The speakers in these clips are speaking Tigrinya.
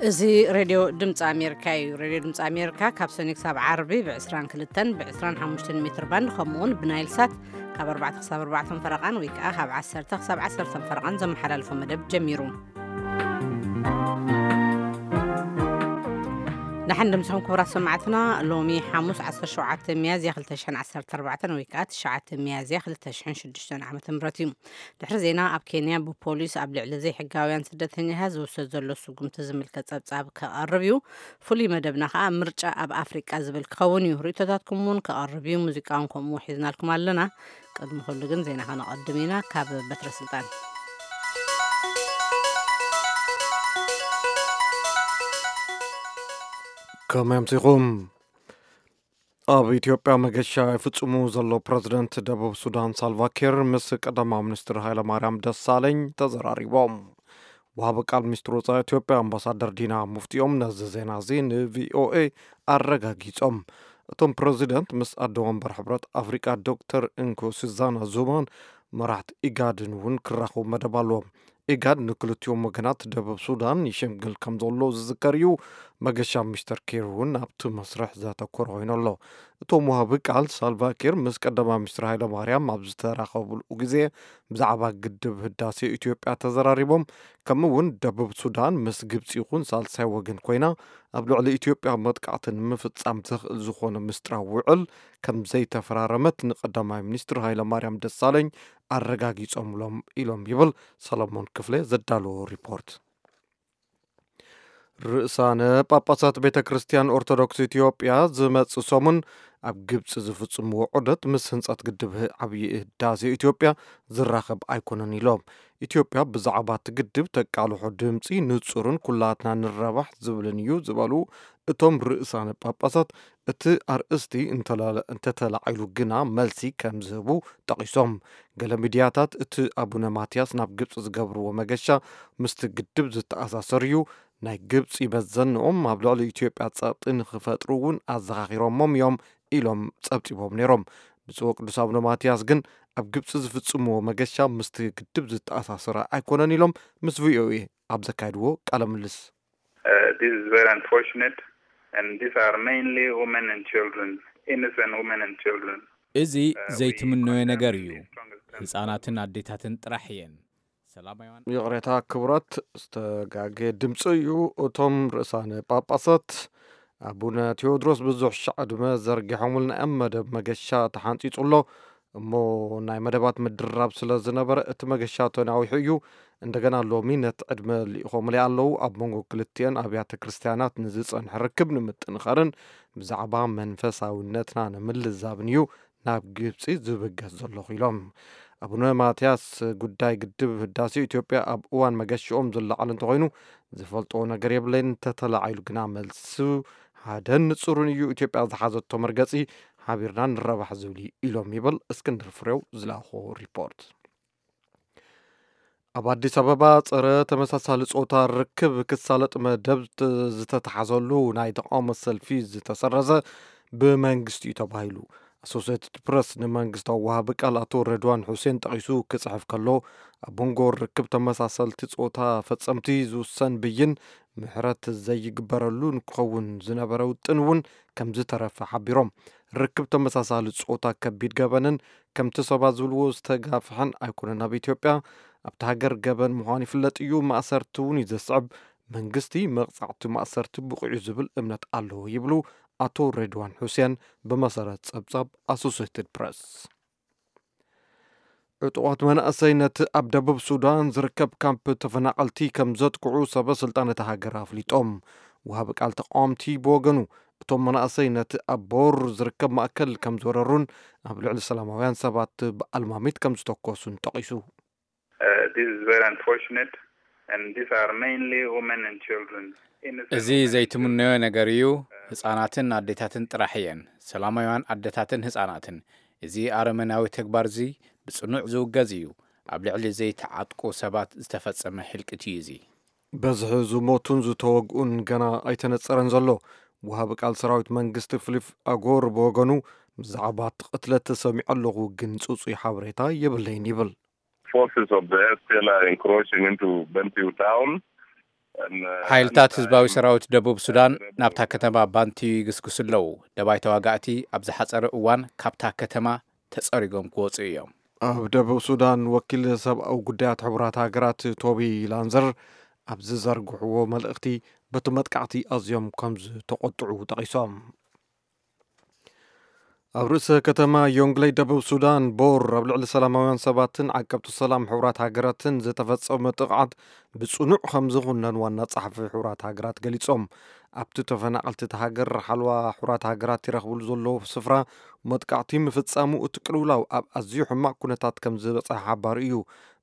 እዚ ሬድዮ ድምፂ ኣሜሪካ እዩ። ሬድዮ ድምፂ ኣሜሪካ ካብ ሰኒ ክሳብ ዓርቢ ብ22ን ብ25 ሜትር ባንድ፣ ከምኡ እውን ብናይል ሳት ካብ ኣርባዕተ ክሳብ ኣርባዕተ ፈረቓን ወይ ከዓ ካብ ዓሰርተ ክሳብ ዓሰርተ ፈረቓን ዘመሓላልፎ መደብ ጀሚሩ። ደሓን ድምፅኹም ክቡራት ሰማዕትና። ሎሚ ሓሙስ 17 ሚያዝያ 2014 ወይ ከዓ 9 ሚያዝያ 2006 ዓመተ ምህረት እዩ። ድሕሪ ዜና፣ ኣብ ኬንያ ብፖሊስ ኣብ ልዕሊ ዘይሕጋውያን ስደተኛታት ዝውሰድ ዘሎ ስጉምቲ ዝምልከት ጸብጻብ ከቐርብ እዩ። ፍሉይ መደብና ከኣ ምርጫ ኣብ ኣፍሪቃ ዝብል ክኸውን እዩ። ርእይቶታትኩም እውን ከቐርብ እዩ። ሙዚቃ እውን ከምኡ ሒዝናልኩም ኣለና። ቅድሚ ኩሉ ግን ዜና ከነቐድም ኢና። ካብ በትረ ስልጣን። ከመይ ኣምሲኹም? ኣብ ኢትዮጵያ መገሻ ይፍጽሙ ዘሎ ፕረዚደንት ደቡብ ሱዳን ሳልቫኪር ምስ ቀዳማዊ ሚኒስትር ሃይለማርያም ደሳለኝ ተዘራሪቦም። ወሃቢ ቃል ሚኒስትር ወጻኢ ኢትዮጵያ ኣምባሳደር ዲና ሙፍቲኦም ነዚ ዜና እዚ ንቪኦኤ ኣረጋጊጾም። እቶም ፕረዚደንት ምስ ኣደ ወንበር ሕብረት ኣፍሪቃ ዶክተር እንኮ ሱዛና ዙማን መራሕቲ ኢጋድን እውን ክራኸቡ መደብ ኣለዎም። ኢጋድ ንክልቲኦም ወገናት ደቡብ ሱዳን ይሽምግል ከም ዘሎ ዝዝከር እዩ። መገሻ ሚስተር ኪር እውን ኣብቲ መስርሕ ዘተኮረ ኮይኑ ኣሎ። እቶም ወሃቢ ቃል ሳልቫኪር ምስ ቀዳማዊ ሚኒስትር ሃይለማርያም ኣብ ዝተራኸብሉ ግዜ ብዛዕባ ግድብ ህዳሴ ኢትዮጵያ ተዘራሪቦም። ከምኡ እውን ደቡብ ሱዳን ምስ ግብፂ ይኹን ሳልሳይ ወገን ኮይና ኣብ ልዕሊ ኢትዮጵያ መጥቃዕቲ ንምፍጻም ዘኽእል ዝኾነ ምስጢራዊ ውዕል ከም ዘይተፈራረመት ንቀዳማይ ሚኒስትር ሃይለማርያም ደሳለኝ ኣረጋጊጾምሎም ኢሎም ይብል ሰለሞን ክፍለ ዘዳለዎ ሪፖርት። ርእሳነ ጳጳሳት ቤተ ክርስቲያን ኦርቶዶክስ ኢትዮጵያ ዝመጽእ ሰሙን ኣብ ግብጺ ዝፍጽምዎ ዑደት ምስ ህንጸት ግድብ ህ-፣ ዓብዪ ህዳሴ ኢትዮጵያ ዝራኸብ ኣይኮነን ኢሎም። ኢትዮጵያ ብዛዕባ እቲ ግድብ ተቃልሖ ድምጺ ንጹርን ኩላትና ንረባሕ ዝብልን እዩ ዝበሉ እቶም ርእሳነ ጳጳሳት፣ እቲ ኣርእስቲ እንተላ-፣ እንተተላዒሉ ግና መልሲ ከም ዝህቡ ጠቒሶም። ገለ ሚድያታት እቲ ኣቡነ ማትያስ ናብ ግብጺ ዝገብርዎ መገሻ ምስቲ ግድብ ዝተኣሳሰር እዩ። ናይ ግብጺ መዘንኦም ኣብ ልዕሊ ኢትዮጵያ ጸቕጢ ንኽፈጥሩ እውን ኣዘኻኺሮሞም እዮም ኢሎም ጸብጺቦም ነይሮም። ብፁዕ ወቅዱስ ኣቡነ ማትያስ ግን ኣብ ግብጺ ዝፍጽምዎ መገሻ ምስቲ ግድብ ዝተኣሳሰረ ኣይኮነን ኢሎም ምስ ቪኦኤ ኣብ ዘካየድዎ ቃለ ምልልስ። Uh, this is very unfortunate, and these are mainly women and children, innocent women and children. እዚ ዘይትምነዮ ነገር እዩ። ህፃናትን ኣዴታትን ጥራሕ እየን። ሰላማውያን ይቕሬታ ክቡራት፣ ዝተጋገየ ድምፂ እዩ። እቶም ርእሳነ ጳጳሳት ኣቡነ ቴዎድሮስ ብዙሕ ሻዕ ዕድመ ዘርጊሖምልና እዮም። መደብ መገሻ ተሓንፂፁ ኣሎ እሞ ናይ መደባት ምድርራብ ስለ ዝነበረ እቲ መገሻ ተናዊሑ እዩ። እንደገና ሎሚ ነቲ ዕድመ ልኢኾምለይ ኣለዉ። ኣብ መንጎ ክልቲኤን ኣብያተ ክርስቲያናት ንዝጸንሐ ርክብ ንምጥንኻርን ብዛዕባ መንፈሳዊነትና ንምልዛብን እዩ ናብ ግብጺ ዝብገስ ዘለኹ ኢሎም። ኣቡነ ማትያስ ጉዳይ ግድብ ህዳሴ ኢትዮጵያ ኣብ እዋን መገሽኦም ዝለዓል እንተኾይኑ ዝፈልጦ ነገር የብለይን፣ እንተተላዒሉ ግና መልሱ ሓደን ንጹርን እዩ። ኢትዮጵያ ዝሓዘቶ መርገጺ ሓቢርና ንረባሕ ዝብል እዩ ኢሎም ይብል እስክንድር ፍሬው ዝላኾ ሪፖርት። ኣብ ኣዲስ ኣበባ ጸረ ተመሳሳሊ ጾታ ርክብ ክሳለጥ መደብ ት-፣ ዝተተሓዘሉ ናይ ተቃውሞ ሰልፊ ዝተሰረዘ ብመንግስቲ እዩ ተባሂሉ። ኣሶሴትድ ፕረስ ንመንግስታዊ ወሃቢ ቃል ኣቶ ረድዋን ሑሴን ጠቒሱ ክጽሕፍ ከሎ፣ ኣብ መንጎ ርክብ ተመሳሰልቲ ጾታ ፈጸምቲ ዝውሰን ብይን ምሕረት ዘይግበረሉ ንክኸውን ዝነበረ ውጥን እውን ከም ዝተረፈ ሓቢሮም። ርክብ ተመሳሳሊ ጾታ ከቢድ ገበንን ከምቲ ሰባት ዝብልዎ ዝተጋፍሐን ኣይኮነን። ኣብ ኢትዮጵያ ኣብቲ ሃገር ገበን ምዃኑ ይፍለጥ እዩ። ማእሰርቲ እውን እዩ ዘስዕብ። መንግስቲ መቕጻዕቲ ማእሰርቲ ብቑዕ እዩ ዝብል እምነት ኣለዎ ይብሉ ኣቶ ሬድዋን ሑሴን ብመሰረት ጸብጻብ ኣሶሴትድ ፕረስ። ዕጡቓት መናእሰይ ነቲ ኣብ ደቡብ ሱዳን ዝርከብ ካምፕ ተፈናቐልቲ ከም ዘጥቅዑ ሰበ ስልጣን እታ ሃገር ኣፍሊጦም። ወሃቢ ቃል ተቃወምቲ ብወገኑ፣ እቶም መናእሰይ ነቲ ኣብ ቦር ዝርከብ ማእከል ከም ዝወረሩን ኣብ ልዕሊ ሰላማውያን ሰባት ብኣልማሚት ከም ዝተኮሱን ጠቒሱ። Uh, this is very unfortunate, and these are mainly women and children. Innocent እዚ women and ዘይትምነዮ children. ነገር እዩ። ህጻናትን ኣዴታትን ጥራሕ እየን፣ ሰላማውያን ኣዴታትን ህጻናትን። እዚ ኣረመናዊ ተግባር እዚ ብጽኑዕ ዝውገዝ እዩ። ኣብ ልዕሊ ዘይተዓጥቁ ሰባት ዝተፈጸመ ህልቂት እዩ እዚ። በዝሒ ዝሞቱን ዝተወግኡን ገና ኣይተነጸረን ዘሎ። ወሃቢ ቃል ሰራዊት መንግስቲ ፊሊፕ ኣጎር ብወገኑ፣ ብዛዕባ እቲ ቅትለት ተሰሚዑ ኣለኹ፣ ግን ጽጹይ ሓበሬታ የብለይን ይብል። Forces of the S P L A are encroaching into Bentiu town. ሓይልታት ህዝባዊ ሰራዊት ደቡብ ሱዳን ናብታ ከተማ ባንትዩ ይግስግሱ ኣለዉ። ደባይ ተዋጋእቲ ኣብ ዝሓጸረ እዋን ካብታ ከተማ ተጸሪጎም ክወጹ እዮም። ኣብ ደቡብ ሱዳን ወኪል ሰብኣዊ ጉዳያት ሕቡራት ሃገራት ቶቢ ላንዘር ኣብ ዝዘርግሕዎ መልእኽቲ፣ በቲ መጥቃዕቲ ኣዝዮም ከም ዝተቖጥዑ ጠቒሶም። ኣብ ርእሰ ከተማ ዮንግለይ ደቡብ ሱዳን ቦር ኣብ ልዕሊ ሰላማውያን ሰባትን ዓቀብቲ ሰላም ሕቡራት ሃገራትን ዝተፈጸመ ጥቕዓት ብጽኑዕ ከም ዝኹነን ዋና ጸሓፊ ሕቡራት ሃገራት ገሊጾም። ኣብቲ ተፈናቐልቲ እቲ ሃገር ሓለዋ ሕቡራት ሃገራት ይረኽብሉ ዘለዉ ስፍራ መጥቃዕቲ ምፍጻሙ እቲ ቅልውላው ኣብ ኣዝዩ ሕማቕ ኩነታት ከም ዝበጽሐ ሓባሩ እዩ።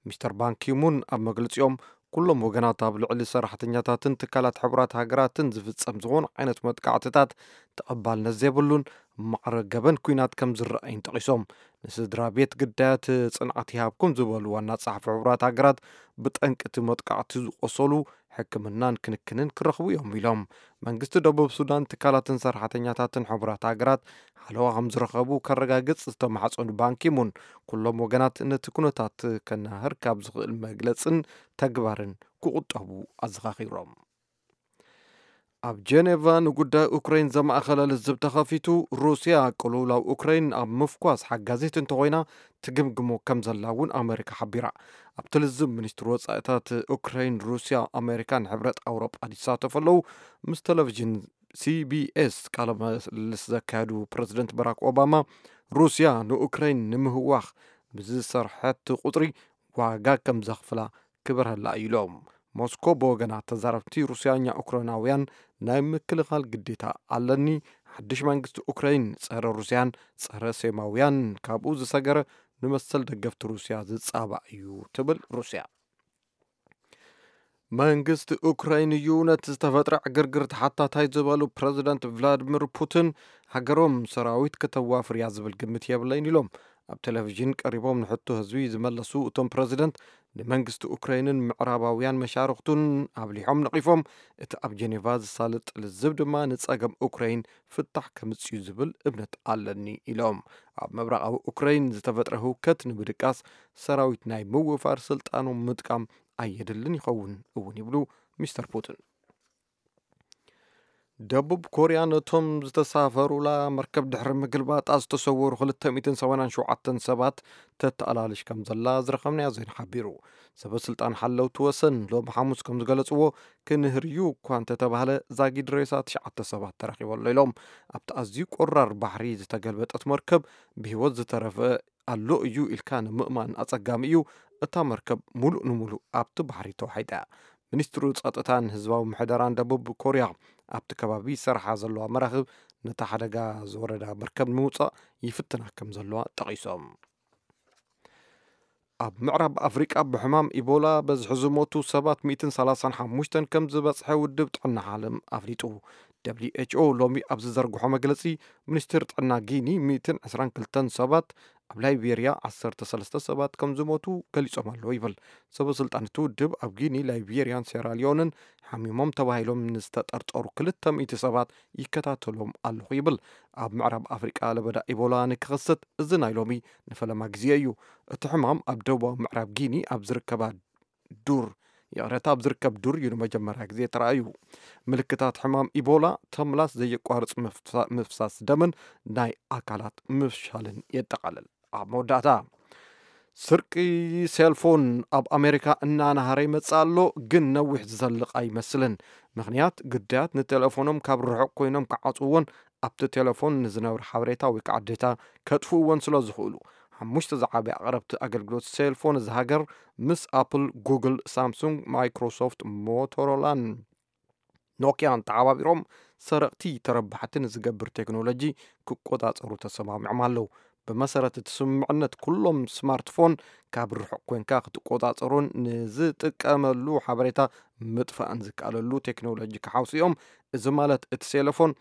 ሚስተር ባንኪሙን ኣብ መግለጺኦም፣ ኩሎም ወገናት ኣብ ልዕሊ ሰራሕተኛታትን ትካላት ሕቡራት ሃገራትን ዝፍጸም ዝኾነ ዓይነት መጥቃዕትታት ተቐባልነት ዘይብሉን ማዕረ ገበን ኲናት ከም ዝረኣይን ጠቒሶም፣ ንስድራ ቤት ግዳያት ጽንዓት ይሃብኩም ዝበሉ ዋና ጸሓፊ ሕቡራት ሃገራት፣ ብጠንቂ እቲ መጥቃዕቲ ዝቆሰሉ ሕክምናን ክንክንን ክረኽቡ እዮም ኢሎም። መንግስቲ ደቡብ ሱዳን ትካላትን ሰራሕተኛታትን ሕቡራት ሃገራት ሓለዋ ከም ዝረኸቡ ከረጋግጽ ዝተማሕጸኑ ባንኪሙን፣ ኩሎም ወገናት ነቲ ኩነታት ከናህር ካብ ዝኽእል መግለጽን ተግባርን ክቑጠቡ ኣዘኻኺሮም። ኣብ ጀኔቫ ንጉዳይ ኡክራይን ዘማእኸለ ልዝብ ተኸፊቱ፣ ሩስያ ቅልውላው ኡክራይን ኣብ ምፍኳስ ሓጋዚት እንተኾይና ትግምግሞ ከም ዘላ እውን ኣመሪካ ሓቢራ። ኣብቲ ልዝብ፣ ሚኒስትሪ ወጻኢታት ኡክራይን፣ ሩስያ፣ ኣመሪካን ሕብረት ኣውሮጳ ይሳተፉ ኣለዉ። ምስ ቴሌቪዥን ሲቢኤስ ቃለ ምልልስ ዘካየዱ ፕረዚደንት ባራክ ኦባማ፣ ሩስያ ንኡክራይን ንምህዋኽ ብዝሰርሐት ቁጽሪ ዋጋ ከም ዘኽፍላ ክበርሀላ እዩ ኢሎም። ሞስኮ ብወገና፣ ተዛረብቲ ሩስያኛ ኡክራይናውያን ናይ ምክልኻል ግዴታ ኣለኒ፣ ሓድሽ መንግስቲ ኡክራይን ጸረ ሩስያን ጸረ ሴማውያን ካብኡ ዝሰገረ ንመሰል ደገፍቲ ሩስያ ዝጻባእ እዩ ትብል ሩስያ። መንግስቲ ኡክራይን እዩ ነቲ ዝተፈጥረ ዕግርግር ተሓታታይ ዝበሉ ፕረዚደንት ቭላድሚር ፑቲን፣ ሃገሮም ሰራዊት ከተዋፍር እያ ዝብል ግምት የብለይን ኢሎም። ኣብ ቴሌቪዥን ቀሪቦም ንሕቶ ህዝቢ ዝመለሱ እቶም ፕረዚደንት፣ ንመንግስቲ ኡክራይንን ምዕራባውያን መሻርኽቱን ኣብሊሖም ነቒፎም፣ እቲ ኣብ ጀኔቫ ዝሳለጥ ልዝብ ድማ ንጸገም ኡክራይን ፍታሕ ከምጽእ እዩ ዝብል እምነት ኣለኒ ኢሎም። ኣብ ምብራቓዊ ኡክራይን ዝተፈጥረ ህውከት ንምድቃስ ሰራዊት ናይ ምውፋር ስልጣኖም ምጥቃም ኣየድልን ይኸውን እውን ይብሉ ሚስተር ፑቲን። ደቡብ ኮርያ ነቶም ዝተሳፈሩላ መርከብ ድሕሪ ምግልባጣ ዝተሰወሩ ክልተ ሚእትን ሰማንያን ሸውዓተን ሰባት ተተኣላልሽ ከም ዘላ ዝረኸብናዮ ዜና ሓቢሩ። ሰበ ስልጣን ሓለውቲ ወሰን ሎሚ ሓሙስ ከም ዝገለጽዎ፣ ክንህርዩ እኳ እንተተባህለ ዛጊድ ሬሳ ትሽዓተ ሰባት ተረኺቡ ኣሎ ኢሎም። ኣብቲ ኣዝዩ ቆራር ባሕሪ ዝተገልበጠት መርከብ ብህይወት ዝተረፈ ኣሎ እዩ ኢልካ ንምእማን ኣጸጋሚ እዩ። እታ መርከብ ሙሉእ ንሙሉእ ኣብቲ ባሕሪ ተዋሒጣ እያ። ሚኒስትሪ ጸጥታን ህዝባዊ ምሕደራን ደቡብ ኮርያ፣ ኣብቲ ከባቢ ዝሰርሓ ዘለዋ መራኽብ ነታ ሓደጋ ዝወረዳ መርከብ ንምውጻእ ይፍትና ከም ዘለዋ ጠቒሶም። ኣብ ምዕራብ ኣፍሪቃ ብሕማም ኢቦላ በዝሒ ዝሞቱ ሰባት ሚእትን ሰላሳን ሓሙሽተን ከም ዝበጽሐ ውድብ ጥዕና ዓለም ኣፍሊጡ። ደብሊው ኤች ኦ ሎሚ ኣብ ዝዘርግሖ መግለጺ፣ ሚኒስትር ጥዕና ጊኒ ሚእትን ዕስራን ክልተን ሰባት፣ ኣብ ላይቤርያ ዓሰርተ ሰለስተ ሰባት ከም ዝሞቱ ገሊጾም ኣለዉ ይብል። ሰበ ስልጣን እቲ ውድብ ኣብ ጊኒ፣ ላይቤርያን ሴራሊዮንን ሓሚሞም ተባሂሎም ንዝተጠርጠሩ ክልተ ሚእቲ ሰባት ይከታተሎም ኣለኹ ይብል። ኣብ ምዕራብ ኣፍሪቃ ለበዳ ኢቦላ ንክኸሰት እዚ ናይ ሎሚ ንፈለማ ግዜ እዩ። እቲ ሕማም ኣብ ደቡባዊ ምዕራብ ጊኒ ኣብ ዝርከባ ዱር፣ ይቕረታ፣ ኣብ ዝርከብ ዱር እዩ ንመጀመርያ ግዜ ተራእዩ። ምልክታት ሕማም ኢቦላ ተምላስ፣ ዘየቋርጽ ምፍሳ-፣ ምፍሳስ ደምን ናይ ኣካላት ምፍሻልን የጠቓልል። ኣብ መወዳእታ፣ ስርቂ ሴልፎን ኣብ ኣሜሪካ እናናሃረ ይመጽእ ኣሎ፣ ግን ነዊሕ ዝዘልቕ ኣይመስልን። ምኽንያት፣ ግዳያት ንቴሌፎኖም ካብ ርሑቕ ኮይኖም ክዓጽውዎን ኣብቲ ቴሌፎን ንዝነብር ሓበሬታ ወይ ከዓ ዴታ ከጥፍእዎን ስለ ዝኽእሉ። ሓሙሽተ ዝዓበየ ኣቕረብቲ ኣገልግሎት ሴልፎን እዚ ሃገር፣ ምስ ኣፕል፣ ጉግል፣ ሳምሱንግ፣ ማይክሮሶፍት፣ ሞቶሮላን ኖኪያን ተሓባቢሮም፣ ሰረቕቲ ተረባሕቲ ንዝገብር ቴክኖሎጂ ክቆጻጸሩ ተሰማሚዖም ኣለዉ። ብመሰረት እቲ ስምምዕነት፣ ኩሎም ስማርትፎን ካብ ርሑቕ ኮንካ ክትቆጻጸሮን ንዝጥቀመሉ ሓበሬታ ምጥፋእን ዝከኣለሉ ቴክኖሎጂ ክሓውሱ እዮም። እዚ ማለት፣ እቲ ሴለፎን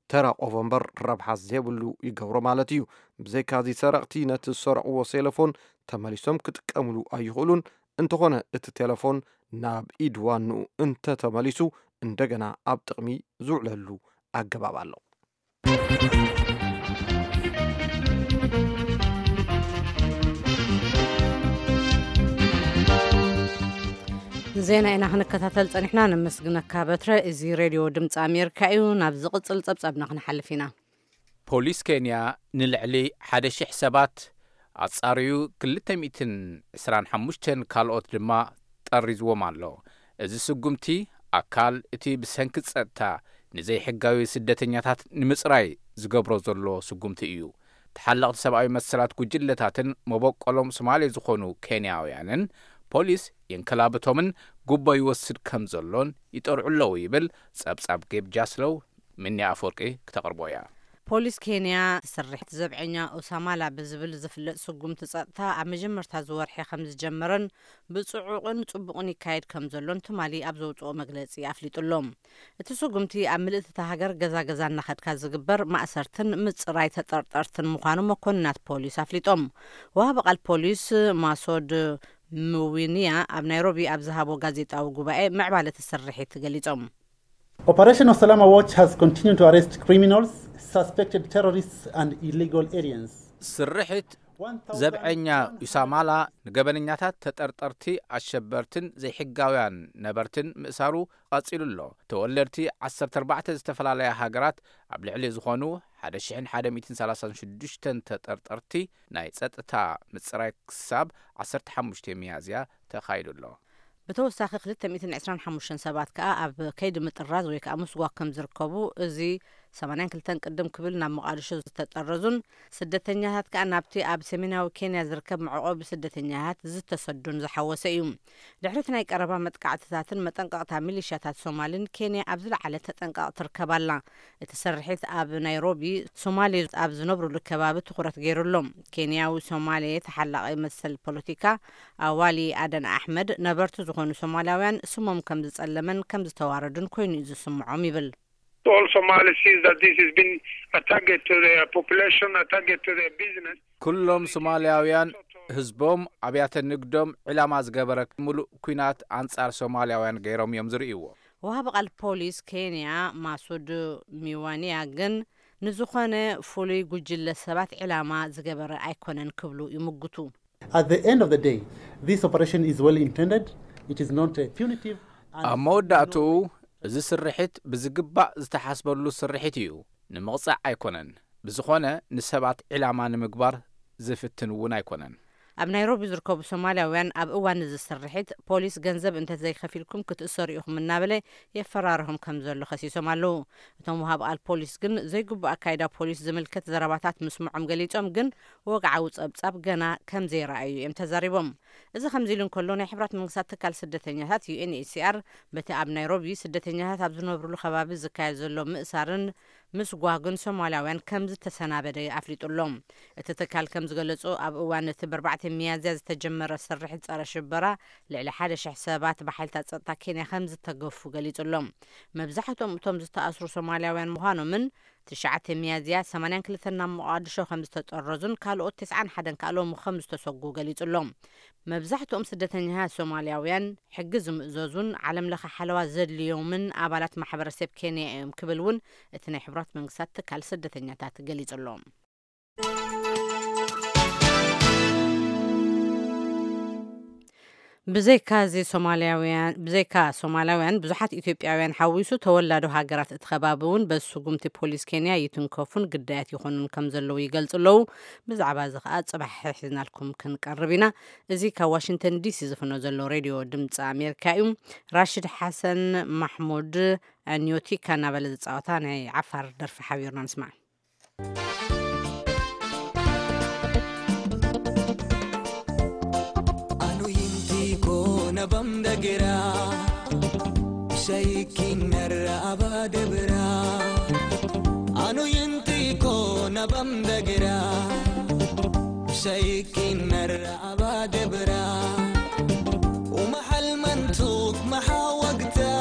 ተራ ቆፎ እምበር ረብሓ ዘይብሉ ይገብሮ ማለት እዩ። ብዘይካዚ፣ ሰረቕቲ ነቲ ዝሰረቕዎ ሴለፎን ተመሊሶም ክጥቀምሉ ኣይኽእሉን። እንተኾነ፣ እቲ ቴለፎን ናብ ኢድ ዋንኡ እንተተመሊሱ፣ እንደገና ኣብ ጥቕሚ ዝውዕለሉ ኣገባብ ኣሎ። ዜና ኢና ክንከታተል ጸኒሕና። ነመስግነካ በትረ። እዚ ሬድዮ ድምፂ ኣሜሪካ እዩ። ናብ ዝቕጽል ጸብጻብና ክንሓልፍ ኢና። ፖሊስ ኬንያ ንልዕሊ ሓደ ሺሕ ሰባት ኣጻርዩ፣ ክልተ ሚእትን ዕስራን ሓሙሽተን ካልኦት ድማ ጠሪዝዎም ኣሎ። እዚ ስጉምቲ ኣካል እቲ ብሰንኪ ጸጥታ ንዘይሕጋዊ ስደተኛታት ንምጽራይ ዝገብሮ ዘሎ ስጉምቲ እዩ። ተሓለቕቲ ሰብኣዊ መሰላት ጉጅለታትን መበቆሎም ሶማሌ ዝኾኑ ኬንያውያንን ፖሊስ የንከላብቶምን ጉቦ ይወስድ ከም ዘሎን ይጠርዑ ኣለዉ ይብል ጸብጻብ ጌብ ጃስሎው። ምንያ ኣፈወርቂ ክተቕርቦ እያ። ፖሊስ ኬንያ ስርሒት ዘብዐኛ ኡሳማላ ብዝብል ዝፍለጥ ስጉምቲ ጸጥታ ኣብ መጀመርታ ዝወርሒ ከም ዝጀመረን ብጽዑቕን ጽቡቕን ይካየድ ከም ዘሎን ትማሊ ኣብ ዘውጽኦ መግለጺ ኣፍሊጡ ኣሎ። እቲ ስጉምቲ ኣብ ምልእቲ እታ ሃገር ገዛ ገዛ እናኸድካ ዝግበር ማእሰርትን ምጽራይ ተጠርጠርትን ምዃኑ መኮንናት ፖሊስ ኣፍሊጦም። ወሃቢ ቃል ፖሊስ ማሶድ ምዊንያ ኣብ ናይሮቢ ኣብ ዝሃቦ ጋዜጣዊ ጉባኤ ምዕባለ እቲ ስርሒት ገሊጾም። Operation Osalama Watch has continued to arrest criminals, suspected terrorists and illegal aliens. ስርሒት ዘብዐኛ ዩሳማላ ንገበነኛታት፣ ተጠርጠርቲ፣ ኣሸበርትን ዘይሕጋውያን ነበርትን ምእሳሩ ቀጺሉ ኣሎ። ተወለድቲ ዓሰርተ ኣርባዕተ ዝተፈላለያ ሃገራት ኣብ ልዕሊ ዝኾኑ ሓደ ሽሕን ሓደ ሚእትን ሰላሳን ሽዱሽተን ተጠርጠርቲ ናይ ጸጥታ ምጽራይ ክሳብ ዓሰርተ ሓሙሽተ ሚያዝያ ተኻይዱ ኣሎ። ብተወሳኺ ክልተ ሚእትን ዕስራን ሓሙሽተን ሰባት ከኣ ኣብ ከይዲ ምጥራዝ ወይ ከኣ ምስጓግ ከም ዝርከቡ፣ እዚ ሰማንያን ክልተን ቅድም ክብል ናብ ሞቓድሾ ዝተጠረዙን ስደተኛታት ከኣ ናብቲ ኣብ ሰሜናዊ ኬንያ ዝርከብ መዕቆቢ ስደተኛታት ዝተሰዱን ዝሓወሰ እዩ። ድሕሪ እቲ ናይ ቀረባ መጥቃዕትታትን መጠንቀቕታ ሚሊሻታት ሶማልን፣ ኬንያ ኣብ ዝለዓለ ተጠንቀቕ ትርከብ ኣላ። እቲ ስርሒት ኣብ ናይሮቢ ሶማሌ ኣብ ዝነብሩሉ ከባቢ ትኹረት ገይሩ ኣሎ። ኬንያዊ ሶማሌ ተሓላቒ መሰል ፖለቲካ ኣዋሊ ኣደን ኣሕመድ፣ ነበርቲ ዝኾኑ ሶማላውያን ስሞም ከም ዝጸለመን ከም ዝተዋረዱን ኮይኑ እዩ ዝስምዖም ይብል። All Somalis sees that this has been a target to their population, a target to their business. ኩሎም ሶማልያውያን ህዝቦም፣ ኣብያተ ንግዶም ዕላማ ዝገበረ ምሉእ ኲናት ኣንጻር ሶማልያውያን ገይሮም እዮም ዝርእይዎ። ወሃቢ ቃል ፖሊስ ኬንያ ማሱድ ሚዋንያ ግን ንዝኾነ ፍሉይ ጉጅለ ሰባት ዕላማ ዝገበረ ኣይኮነን ክብሉ ይምጉቱ። At the end of the day, this operation is well intended. It is not a punitive. And ኣብ መወዳእትኡ፣ እዚ ስርሒት ብዝግባእ ዝተሓስበሉ ስርሒት እዩ። ንምቕጻዕ ኣይኮነን። ብዝኾነ፣ ንሰባት ዕላማ ንምግባር ዝፍትን እውን ኣይኮነን። ኣብ ናይሮቢ ዝርከቡ ሶማልያውያን ኣብ እዋን እዚ ስርሒት ፖሊስ ገንዘብ እንተዘይከፊልኩም ክትእሰሩ ኢኹም እናበለ የፈራርሆም ከም ዘሎ ከሲሶም ኣለዉ። እቶም ወሃብ ቃል ፖሊስ ግን ዘይግቡእ ኣካይዳ ፖሊስ ዝምልከት ዘረባታት ምስምዖም ገሊጾም፣ ግን ወግዓዊ ጸብጻብ ገና ከም ዘይረኣዩ እዮም ተዛሪቦም። እዚ ከምዚ ኢሉ እንከሎ፣ ናይ ሕብራት መንግስታት ትካል ስደተኛታት ዩ ኤን ኤች ሲ ኣር በቲ ኣብ ናይሮቢ ስደተኛታት ኣብ ዝነብሩሉ ከባቢ ዝካየድ ዘሎ ምእሳርን ምስጓግን ሶማልያውያን ከም ዝተሰናበደ ኣፍሊጡ ኣሎ። እቲ ትካል ከም ዝገለጾ፣ ኣብ እዋን እቲ ብ ኣርባዕተ ሚያዝያ ዝተጀመረ ስርሒት ጸረ ሽበራ ልዕሊ ሓደ ሽሕ ሰባት ብሓይልታት ጸጥታ ኬንያ ከም ዝተገፉ ገሊጹ ኣሎ። መብዛሕትኦም እቶም ዝተኣስሩ ሶማልያውያን ምዃኖምን ትሽዓተ ሚያዝያ ሰማንያን ክልተን ናብ ሞቓድሾ ከም ዝተጠረዙን ካልኦት ተስዓን ሓደን ከኣ ሎሚ ከም ዝተሰጉ ገሊጹ ኣሎ። መብዛሕትኦም ስደተኛታት ሶማልያውያን ሕጊ ዝምእዘዙን ዓለም ለኸ ሓለዋ ዘድልዮምን ኣባላት ማሕበረሰብ ኬንያ እዮም ክብል እውን እቲ ናይ ሕቡራት መንግስታት ትካል ስደተኛታት ገሊጹ ኣሎ። ብዘይካ እዚ ሶማልያውያን፣ ብዘይካ ሶማልያውያን፣ ብዙሓት ኢትዮጵያውያን ሓዊሱ ተወላዶ ሃገራት እቲ ከባቢ እውን በዚ ስጉምቲ ፖሊስ ኬንያ ይትንከፉን ግዳያት ይኾኑን ከም ዘለዉ ይገልጹ ኣለዉ። ብዛዕባ እዚ ኸኣ ጽባሕ ሒዝናልኩም ክንቀርብ ኢና። እዚ ካብ ዋሽንግተን ዲ ሲ ዝፍኖ ዘሎ ሬድዮ ድምፂ ኣሜሪካ እዩ። ራሽድ ሓሰን ማሕሙድ ኣንዮቲካ እናበለ ዝጻወታ ናይ ዓፋር ደርፊ ሓቢርና ንስማዕ። Anu yinti ko na bam dagira, shaikin narra abadabra. Anu yinti ko na bam dagira, shaikin narra abadabra. Uma halmantuk mahawagta,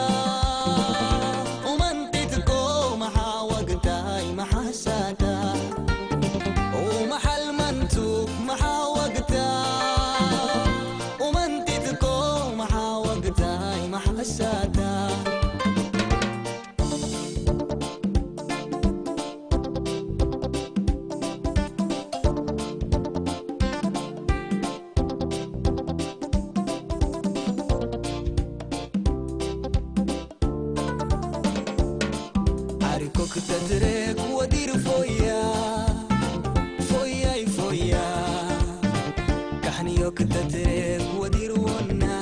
umantit ko mahawagta, ay mahasata. Uma halmantuk mahawagta, umantit ko mahawagta, ay mahasata. Tetrek wadir foya, foya foya. Kahniyo tetrek wadir wonna.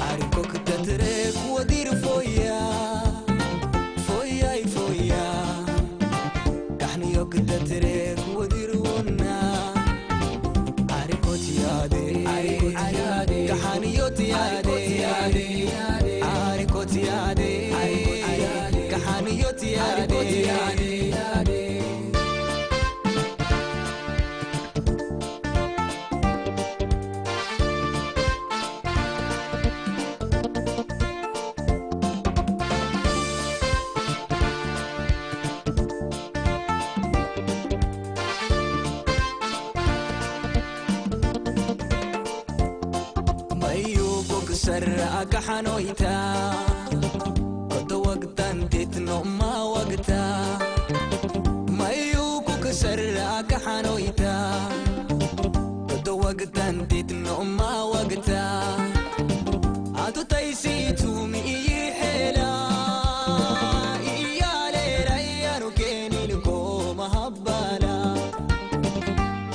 Ariko tetrek wadir foya, foya foya. Kahniyo tetrek wadir wonna. Ariko tiade, ariko tiade. Kahniyo tiade, ariko tiade. Kahniyo tiade. Mayu kuk sarra kahanoita. Koto wagtan titno ma wagta. Mayu kuk sarra kahanoita. Koto wagtan titno ma wagta. Atu taisi tumi iyihela. Iyale rayanu kenil ko mahabbala.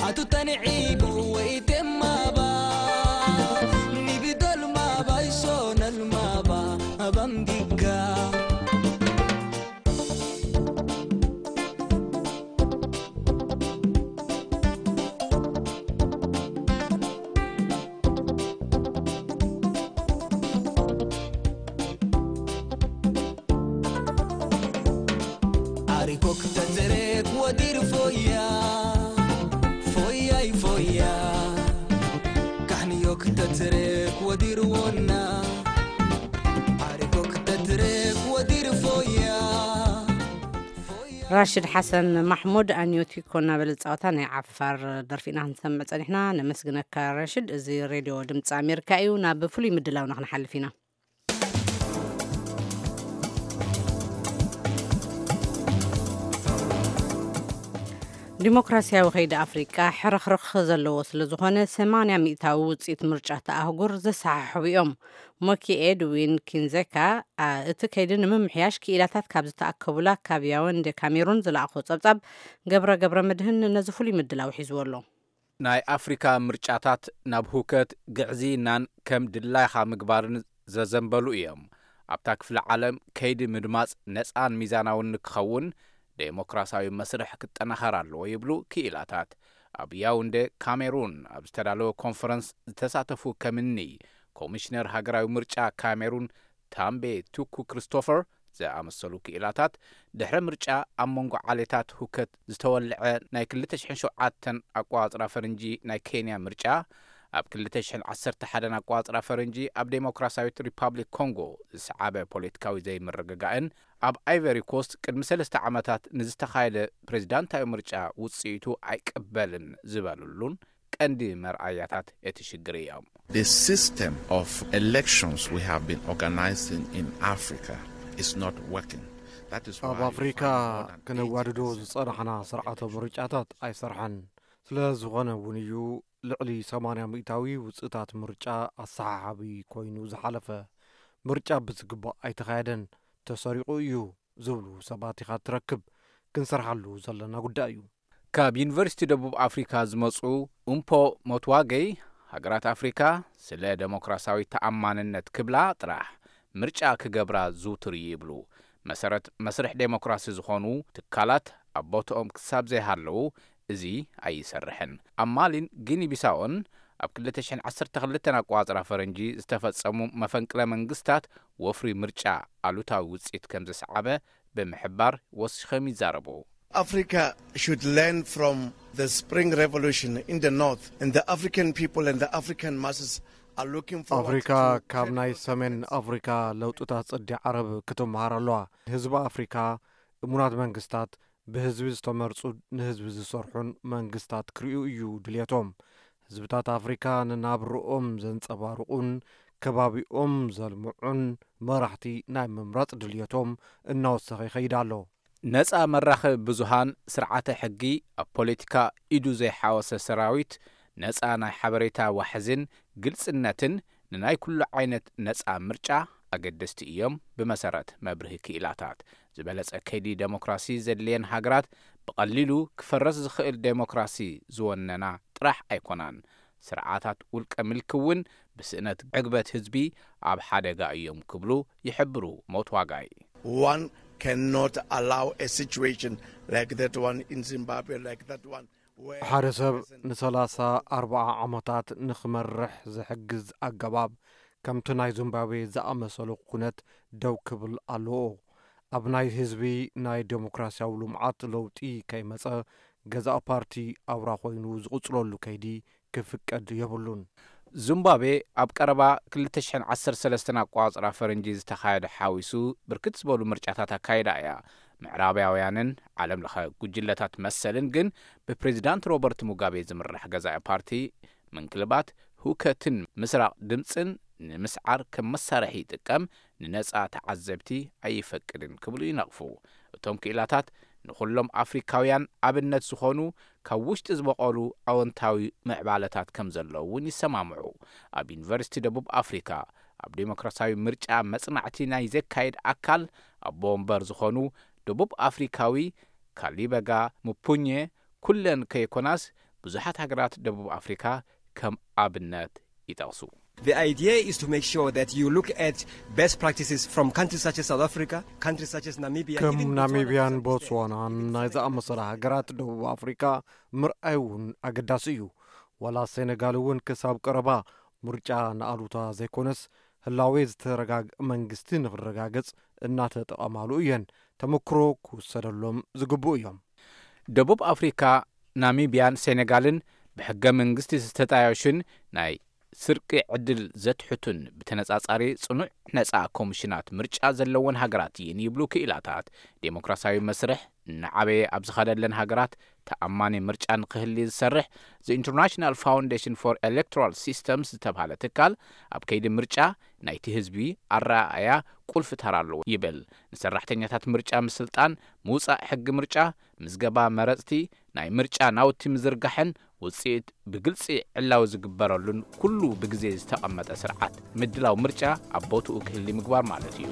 Atu tan'ibu wa itemaba. Nibidol maba isonal maba. Abam digga. Arikok tetrek wadir foya. Foya foya. Kahniyok tetrek wadir wonna. Arikok tetrek wadir foya. ራሽድ ሓሰን ማሕሙድ ኣንዮቲኮ እናበለ ዝፃወታ ናይ ዓፋር ደርፊ ኢና ክንሰምዕ ፀኒሕና። ነመስግነካ ራሽድ። እዚ ሬድዮ ድምፂ ኣሜሪካ እዩ። ናብ ፍሉይ ምድላውና ክንሓልፍ ኢና። ዲሞክራሲያዊ ከይዲ ኣፍሪቃ ሕርኽርኽ ዘለዎ ስለ ዝኾነ ሰማንያ ሚእታዊ ውፅኢት ምርጫ እቲ ኣህጉር ዘሰሓሕቡ እዮም። ሞኪ ኤድዊን ኪንዜካ እቲ ከይዲ ንምምሕያሽ ክኢላታት ካብ ዝተኣከቡላ ካብ ያወንዴ ካሜሩን ዝለኣኾ ጸብጻብ ገብረ ገብረ መድህን ነዚ ፍሉይ ምድላው ሒዝዎ ኣሎ። ናይ ኣፍሪካ ምርጫታት ናብ ሁከት ግዕዝይናን ከም ድላይኻ ምግባርን ዘዘንበሉ እዮም። ኣብታ ክፍለ ዓለም ከይዲ ምድማፅ ነፃን ሚዛናውን ንክኸውን ዴሞክራሲያዊ መስርሕ ክጠናኸር ኣለዎ ይብሉ ክኢላታት። ኣብ ያውንዴ ካሜሩን ኣብ ዝተዳለወ ኮንፈረንስ ዝተሳተፉ ከምኒ ኮሚሽነር ሃገራዊ ምርጫ ካሜሩን ታምቤ ቱኩ ክሪስቶፈር ዝኣመሰሉ ክኢላታት ድሕረ ምርጫ ኣብ መንጎ ዓሌታት ሁከት ዝተወልዐ ናይ ክልተ ሽሕን ሸውዓተን ኣቋጽራ ፈረንጂ ናይ ኬንያ ምርጫ ኣብ ክልተ ሽሕን ዓሰርተ ሓደን ኣቋጽራ ፈረንጂ ኣብ ዴሞክራሲያዊት ሪፓብሊክ ኮንጎ ዝሰዓበ ፖለቲካዊ ዘይምርግጋእን ኣብ ኣይቨሪ ኮስት ቅድሚ ሰለስተ ዓመታት ንዝተኻየደ ፕሬዚዳንታዊ ምርጫ ውጽኢቱ ኣይቅበልን ዝበሉሉን ቀንዲ መርኣያታት እቲ ሽግር እዮም። The system of elections we have been organizing in Africa is not working. That is ኣብ why you ኣፍሪካ find modern ክነዋድዶ eighty percent ዝጸናሕና of ስርዓተ elections ምርጫታት ኣይሰርሐን። ስለ ዝኾነ እውን እዩ ልዕሊ ሰማንያ ሚእታዊ ውፅእታት ምርጫ ኣሰሓሓቢ ኮይኑ ዝሓለፈ። ምርጫ ብዝግባእ ኣይተኻየደን፣ ተሰሪቑ እዩ ዝብሉ ሰባት ኢኻ ትረክብ። ክንሰርሓሉ ዘለና ጉዳይ እዩ። ካብ ዩኒቨርሲቲ ደቡብ ኣፍሪካ ዝመፁ ኡምፖ ሞትዋገይ፣ ሃገራት ኣፍሪካ ስለ ደሞክራሲያዊ ተኣማንነት ክብላ ጥራሕ ምርጫ ክገብራ ዝውትር እዩ ይብሉ። መሰረት መስርሕ ዴሞክራሲ ዝኾኑ ትካላት ኣብ ቦትኦም ክሳብ ዘይሃለዉ እዚ ኣይሰርሕን። ኣብ ማሊን ጊኒ ቢሳኦን ኣብ ክልተ ሽሕን ዓሰርተ ክልተን ኣቋጽራ ፈረንጂ ዝተፈጸሙ መፈንቅለ መንግስታት ወፍሪ ምርጫ ኣሉታዊ ውጽኢት ከም ዘስዓበ ብምሕባር ወሲኾም ይዛረቡ። Africa should learn from the Spring Revolution in the North, and the African people and the African masses are looking forward ኣፍሪካ to ካብ ናይ ሰሜን ኣፍሪካ ለውጥታት ጽዲ ዓረብ ክትመሃር ኣለዋ። ህዝቢ ኣፍሪካ እሙናት መንግስታት፣ ብህዝቢ ዝተመርጹ፣ ንህዝቢ ዝሰርሑን መንግስታት ክርእዩ እዩ ድልየቶም። ህዝብታት ኣፍሪካ ንናብርኦም ዘንጸባርቑን ከባቢኦም ዘልምዑን መራሕቲ ናይ ምምራጽ ድልየቶም እናወሰኸ ይኸይድ ኣሎ። ነጻ መራኸቢ ብዙሃን፣ ስርዓተ ሕጊ፣ ኣብ ፖለቲካ ኢዱ ዘይሓወሰ ሰራዊት፣ ነጻ ናይ ሓበሬታ ዋሕዝን ግልጽነትን ንናይ ኩሉ ዓይነት ነጻ ምርጫ ኣገደስቲ እዮም፣ ብመሰረት መብርሂ ክኢላታት። ዝበለጸ ከይዲ ደሞክራሲ ዘድልየን ሃገራት ብቐሊሉ ክፈረስ ዝኽእል ደሞክራሲ ዝወነና ጥራሕ ኣይኮናን። ስርዓታት ውልቀ ምልኪ እውን ብስእነት ዕግበት ህዝቢ ኣብ ሓደጋ እዮም ክብሉ ይሕብሩ ሞት ዋጋይ። One cannot allow a situation like that one in Zimbabwe, like that one. ሓደ ሰብ ንሰላሳ ኣርባዓ ዓመታት ንኽመርሕ ዝሕግዝ ኣገባብ ከምቲ ናይ ዚምባብዌ ዝኣመሰሉ ኩነት ደው ክብል ኣለዎ። ኣብ ናይ ህዝቢ ናይ ዴሞክራሲያዊ ልምዓት ለውጢ ከይመጸ ገዛእ ፓርቲ ኣውራ ኮይኑ ዝቕጽለሉ ከይዲ ክፍቀድ የብሉን። ዚምባብዌ ኣብ ቀረባ ክልተ ሽሕን ዓሰርተ ሰለስተን ኣቋጽራ ፈረንጂ ዝተኻየደ ሓዊሱ ብርክት ዝበሉ ምርጫታት ኣካይዳ እያ። ምዕራባውያንን ዓለም ለኸ ጉጅለታት መሰልን ግን ብፕሬዚዳንት ሮበርት ሙጋቤ ዝምራሕ ገዛኢ ፓርቲ ምንክልባት ህውከትን ምስራቕ ድምፅን ንምስዓር ከም መሳርሒ ይጥቀም፣ ንነፃ ተዓዘብቲ ኣይፈቅድን ክብሉ ይነቕፉ። እቶም ክኢላታት ንኹሎም ኣፍሪካውያን ኣብነት ዝኾኑ ካብ ውሽጢ ዝበቐሉ ኣወንታዊ ምዕባለታት ከም ዘለዉ እውን ይሰማምዑ። ኣብ ዩኒቨርሲቲ ደቡብ ኣፍሪካ ኣብ ዴሞክራሲያዊ ምርጫ መጽናዕቲ ናይ ዘካየድ ኣካል ኣቦ ወንበር ዝኾኑ ደቡብ ኣፍሪካዊ ካሊበጋ ሙፑኘ ኩለን ከይኮናስ ብዙሓት ሃገራት ደቡብ ኣፍሪካ ከም ኣብነት ይጠቕሱ። The idea is to make sure that you look at best practices from countries such as South Africa, countries such as Namibia, ከም even Botswana to ናሚብያን some extent, ቦትስዋናን even ናይ Senegal. ዝኣመሰላ ሃገራት ደቡብ ኣፍሪካ ምርኣይ እውን ኣገዳሲ እዩ። ዋላ ሴኔጋል እውን ክሳብ ቀረባ ምርጫ ንኣሉታ ዘይኮነስ ህላዌ ዝተረጋግእ መንግስቲ ንክረጋገጽ እናተጠቐማሉ እየን። ተመክሮ ክውሰደሎም ዝግብኡ እዮም። ደቡብ ኣፍሪካ፣ ናሚብያን ሴኔጋልን ብሕገ መንግስቲ ዝተጣየሹን ናይ ስርቂ ዕድል ዘትሕቱን ብተነጻጻሪ ጽኑዕ ነጻ ኮሚሽናት ምርጫ ዘለወን ሃገራት እየን ይብሉ ክኢላታት። ዴሞክራሲያዊ መስርሕ እናዓበየ ኣብ ዝኸደለን ሃገራት ተኣማኒ ምርጫ ንክህሊ ዝሰርሕ The International Foundation for Electoral Systems ዝተባህለ ትካል ኣብ ከይዲ ምርጫ ናይቲ ህዝቢ ኣረኣእያ ቁልፊ ተራ ኣለዎ ይብል። ንሰራሕተኛታት ምርጫ ምስልጣን፣ ምውጻእ ሕጊ ምርጫ፣ ምዝገባ መረጽቲ፣ ናይ ምርጫ ናውቲ ምዝርጋሕን ውጽኢት ብግልጺ ዕላዊ ዝግበረሉን ኩሉ ብግዜ ዝተቐመጠ ስርዓት ምድላው ምርጫ ኣብ ቦትኡ ክህሊ ምግባር ማለት እዩ።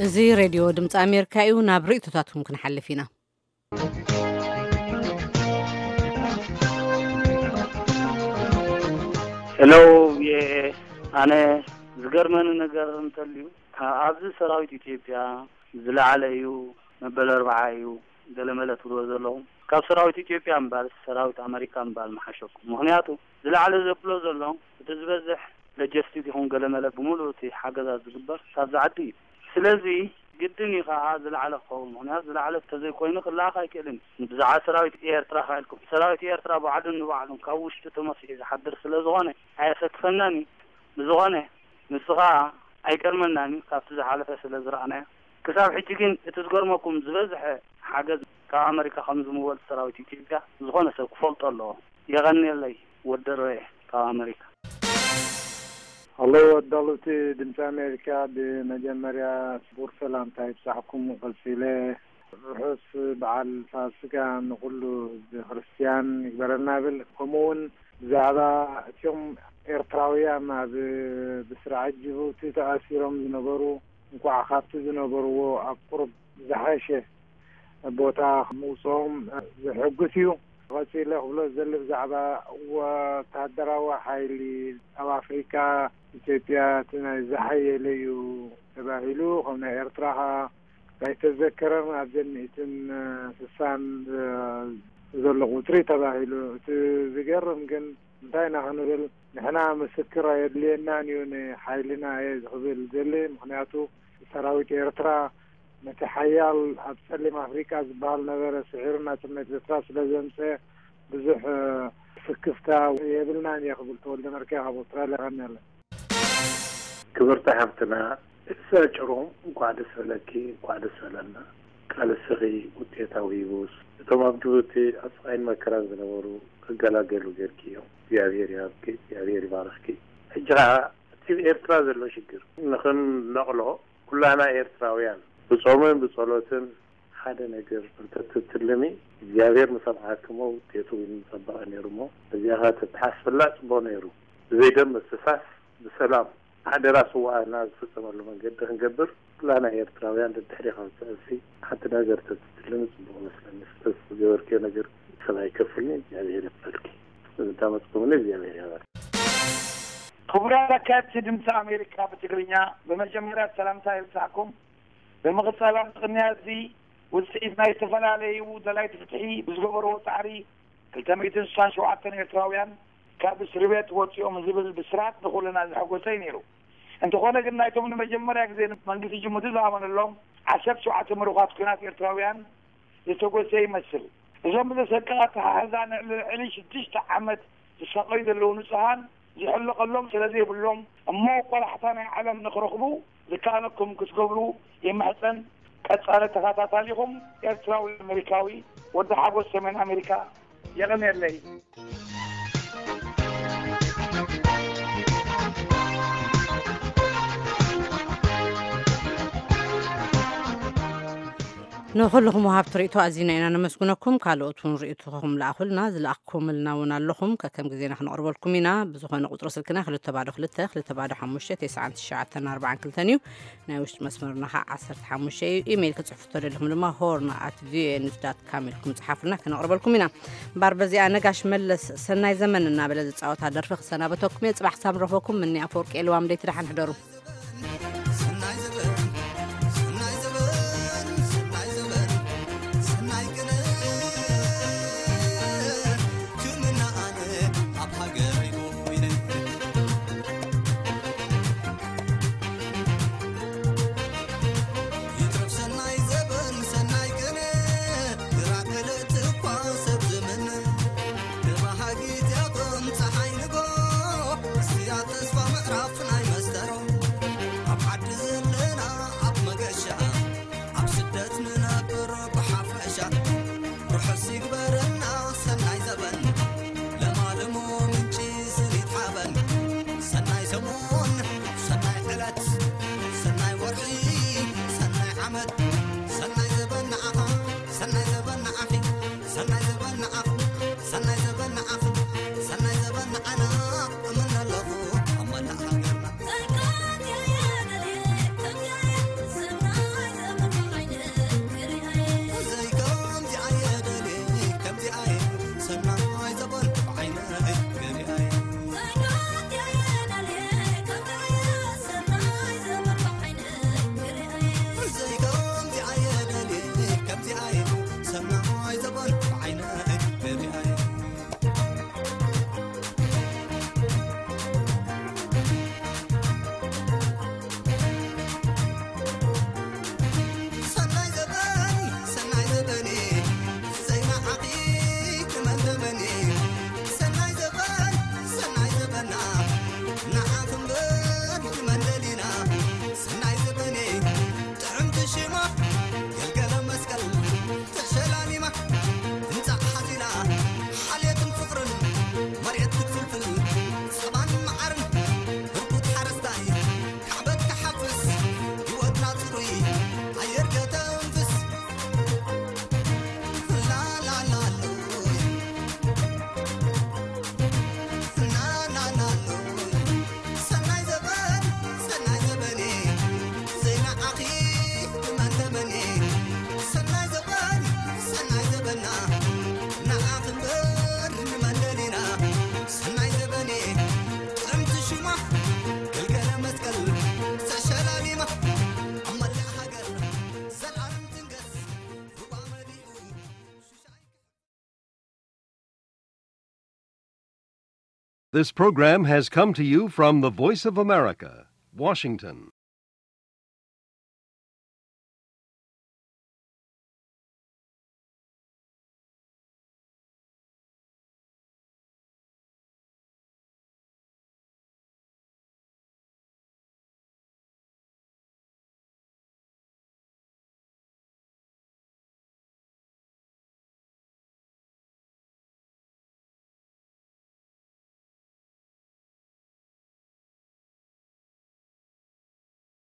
እዚ ሬድዮ ድምፂ ኣሜሪካ እዩ። ናብ ርእይቶታትኩም ክንሓልፍ ኢና። ሄሎ፣ ቪኦኤ፣ ኣነ ዝገርመኒ ነገር እንተልዩ፣ ኣብዚ ሰራዊት ኢትዮጵያ ዝለዓለ እዩ፣ መበል ኣርብዓ እዩ፣ ገለመለ ትብልዎ ዘለኹም፣ ካብ ሰራዊት ኢትዮጵያ እምባል ሰራዊት ኣመሪካ እምባል ምሓሸኩም። ምኽንያቱ ዝለዓለ ዘብሎ ዘሎ እቲ ዝበዝሕ ሎጂስቲክ ይኹን ገለመለ ብምሉእ እቲ ሓገዛት ዝግበር ካብዚ ዓዲ እዩ። ስለዚ ግድን እዩ ከዓ ዝለዓለ ክኸውን፣ ምኽንያቱ ዝለዓለ እንተዘይኮይኑ ክለኣኽ ኣይክእልን እዩ። ብዛዕባ ሰራዊት ኤርትራ ከ ኢልኩም፣ ሰራዊት ኤርትራ ባዕሉ ንባዕሉ ካብ ውሽጢ ተመሲሑ ዝሓድር ስለ ዝኾነ ኣየሰክፈናን እዩ። ብዝኾነ ንሱ ከዓ ኣይገርመናን እዩ፣ ካብቲ ዝሓለፈ ስለ ዝረኣናዮ። ክሳብ ሕጂ ግን እቲ ዝገርመኩም ዝበዝሐ ሓገዝ ካብ ኣመሪካ ከም ዝምወል ሰራዊት ኢትዮጵያ ዝኾነ ሰብ ክፈልጦ ኣለዎ። የቐንየለይ ወዲ ሮየ ካብ ኣመሪካ። ሀሎ ኣዳለውቲ ድምፂ ኣሜሪካ፣ ብመጀመርያ ክቡር ሰላምታ ይብፃሕኩም። ቀፂለ ርሑስ በዓል ፋሲካ ንኩሉ ህዝቢ ክርስትያን ይግበረልና ብል። ከምኡ እውን ብዛዕባ እቲኦም ኤርትራውያን ኣብ ብስርዓት ጅቡቲ ተኣሲሮም ዝነበሩ እንኳዕ ካብቲ ዝነበርዎ ኣብ ቁሩብ ዝሓሸ ቦታ ምውፅኦም ዘሐጉስ እዩ። ቀፂለ ክብሎ ዝደሊ ብዛዕባ ወታደራዊ ሓይሊ ኣብ ኣፍሪካ ኢትዮጵያ እቲ ናይ ዝሓየለ እዩ ተባሂሉ፣ ከም ናይ ኤርትራ ከዓ ኣይተዘከረን። ኣብዘን ሚእትን ስሳን ዘሎ ቁፅሪ ተባሂሉ። እቲ ዝገርም ግን እንታይ ኢና ክንብል፣ ንሕና ምስክር ኣየድልየናን እዩ ንሓይልና እየ ዝኽብል ዘለ። ምኽንያቱ ሰራዊት ኤርትራ ነቲ ሓያል ኣብ ጸሊም ኣፍሪቃ ዝበሃል ነበረ ስዒሩ ናጽነት ኤርትራ ስለ ዘምጸ ብዙሕ ስክፍታ የብልናን እየ ክብል ተወልደ መርኪያ ካብ ኣውስትራልያ ቀኒለ። ክብርቲ ሓፍትና ኤልሳ ጭሮም፣ እንኳዕ ደስ በለኪ፣ እንኳዕ ደስ በለና። ቃልስኺ ውፅኢታዊ ይብስ። እቶም ኣብ ጅቡቲ ኣብ ስቓይን መከራን ዝነበሩ ክገላገሉ ጌርኪ እዮም። እግዚኣብሔር ይሃብኪ፣ እግዚኣብሔር ይባርኽኪ። ሕጂ ኸዓ እቲ ኤርትራ ዘሎ ሽግር ንኽንነቕሎ ኩላና ኤርትራውያን ብጾምን ብጸሎትን ሓደ ነገር እንተትትልሚ እግዚኣብሔር ምሰምዓክሞ ውጤቱ እውን ምጸበቐ ነይሩ። እሞ እዚኣ ተተሓስበላ ጽቡቕ ነይሩ። ብዘይደም ምፍሳስ ብሰላም ሓደራ ስውኣትና ዝፍጸመሉ መንገዲ ክንገብር ኩላና ኤርትራውያን ደድሕሪ ካብ ትዕሲ ሓንቲ ነገር ተትትልሚ ጽቡቕ መስለኒ። ዝተገበርክዮ ነገር ሰብ ኣይከፍልኒ። እግዚኣብሔር ይፈልኪ። እንታመጽኩምኒ እግዚኣብሔር ያባል። ክቡራት ኣካየድቲ ድምፂ ኣሜሪካ ብትግርኛ፣ ብመጀመርያ ሰላምታ ይብጻሕኩም። ብምቕጻል ኣብዚ ቅንያት እዚ ውፅኢት ናይ ዝተፈላለዩ ደላይቲ ፍትሒ ብዝገበርዎ ፃዕሪ ክልተ ሚእትን ስሳን ሸውዓተን ኤርትራውያን ካብ እስሪ ቤት ወፂኦም ዝብል ብስራት ንኹልና ዘሐጎሰ እዩ ነይሩ። እንተኾነ ግን ናይቶም ንመጀመርያ ግዜ መንግስቲ ጅቡቲ ዝኣመነሎም ዓሰርተ ሸውዓተ ምሩኻት ኲናት ኤርትራውያን ዝተጎሰ ይመስል። እዞም ብዘሰቅቕ ኣተሓሕዛ ንልዕሊ ሽዱሽተ ዓመት ዝሳቐዩ ዘለዉ ንጹሃን ዝሕለቐሎም ስለ ዘይብሎም እሞ ቆላሕታ ናይ ዓለም ንኽረኽቡ ዝከኣለኩም ክትገብሩ ይምሕጸን። ቀጻሊ ተኸታታሊኹም ኤርትራዊ ኣሜሪካዊ ወዲ ሓጎስ ሰሜን ኣሜሪካ። የቐንየለይ። ንኹልኹም ወሃብቲ ርእይቶ ኣዚና ኢና ነመስግነኩም። ካልኦት እውን ርእይቶኹም ለኣኹልና። ዝለኣኽኩምልና እውን ኣለኹም። ከከም ግዜና ክነቕርበልኩም ኢና። ብዝኾነ ቁፅሪ ስልክና ክልተ ባዶ ክልተ፣ ክልተ ባዶ ሓሙሽተ፣ ተስዓን ትሽዓተን ኣርባዓን ክልተን እዩ። ናይ ውሽጢ መስመርና ኸዓ ዓሰርተ ሓሙሽተ እዩ። ኢሜይል ክጽሕፉ ተደሊኹም ድማ ሆርን ኣት ቪኦኤ ኒውስ ዳት ካም ኢልኩም ጽሓፉልና፣ ክነቕርበልኩም ኢና። እምበኣር በዚኣ ነጋሽ መለስ ሰናይ ዘመን እናበለ ዝጻወታ ደርፊ ክሰናበተኩም እየ። ጽባሕ ክሳብ ንረኽበኩም ምኒ ኣፈወርቂ የልዋም ደይቲ ደሓን ሕደሩ። This program has come to you from the Voice of America, Washington.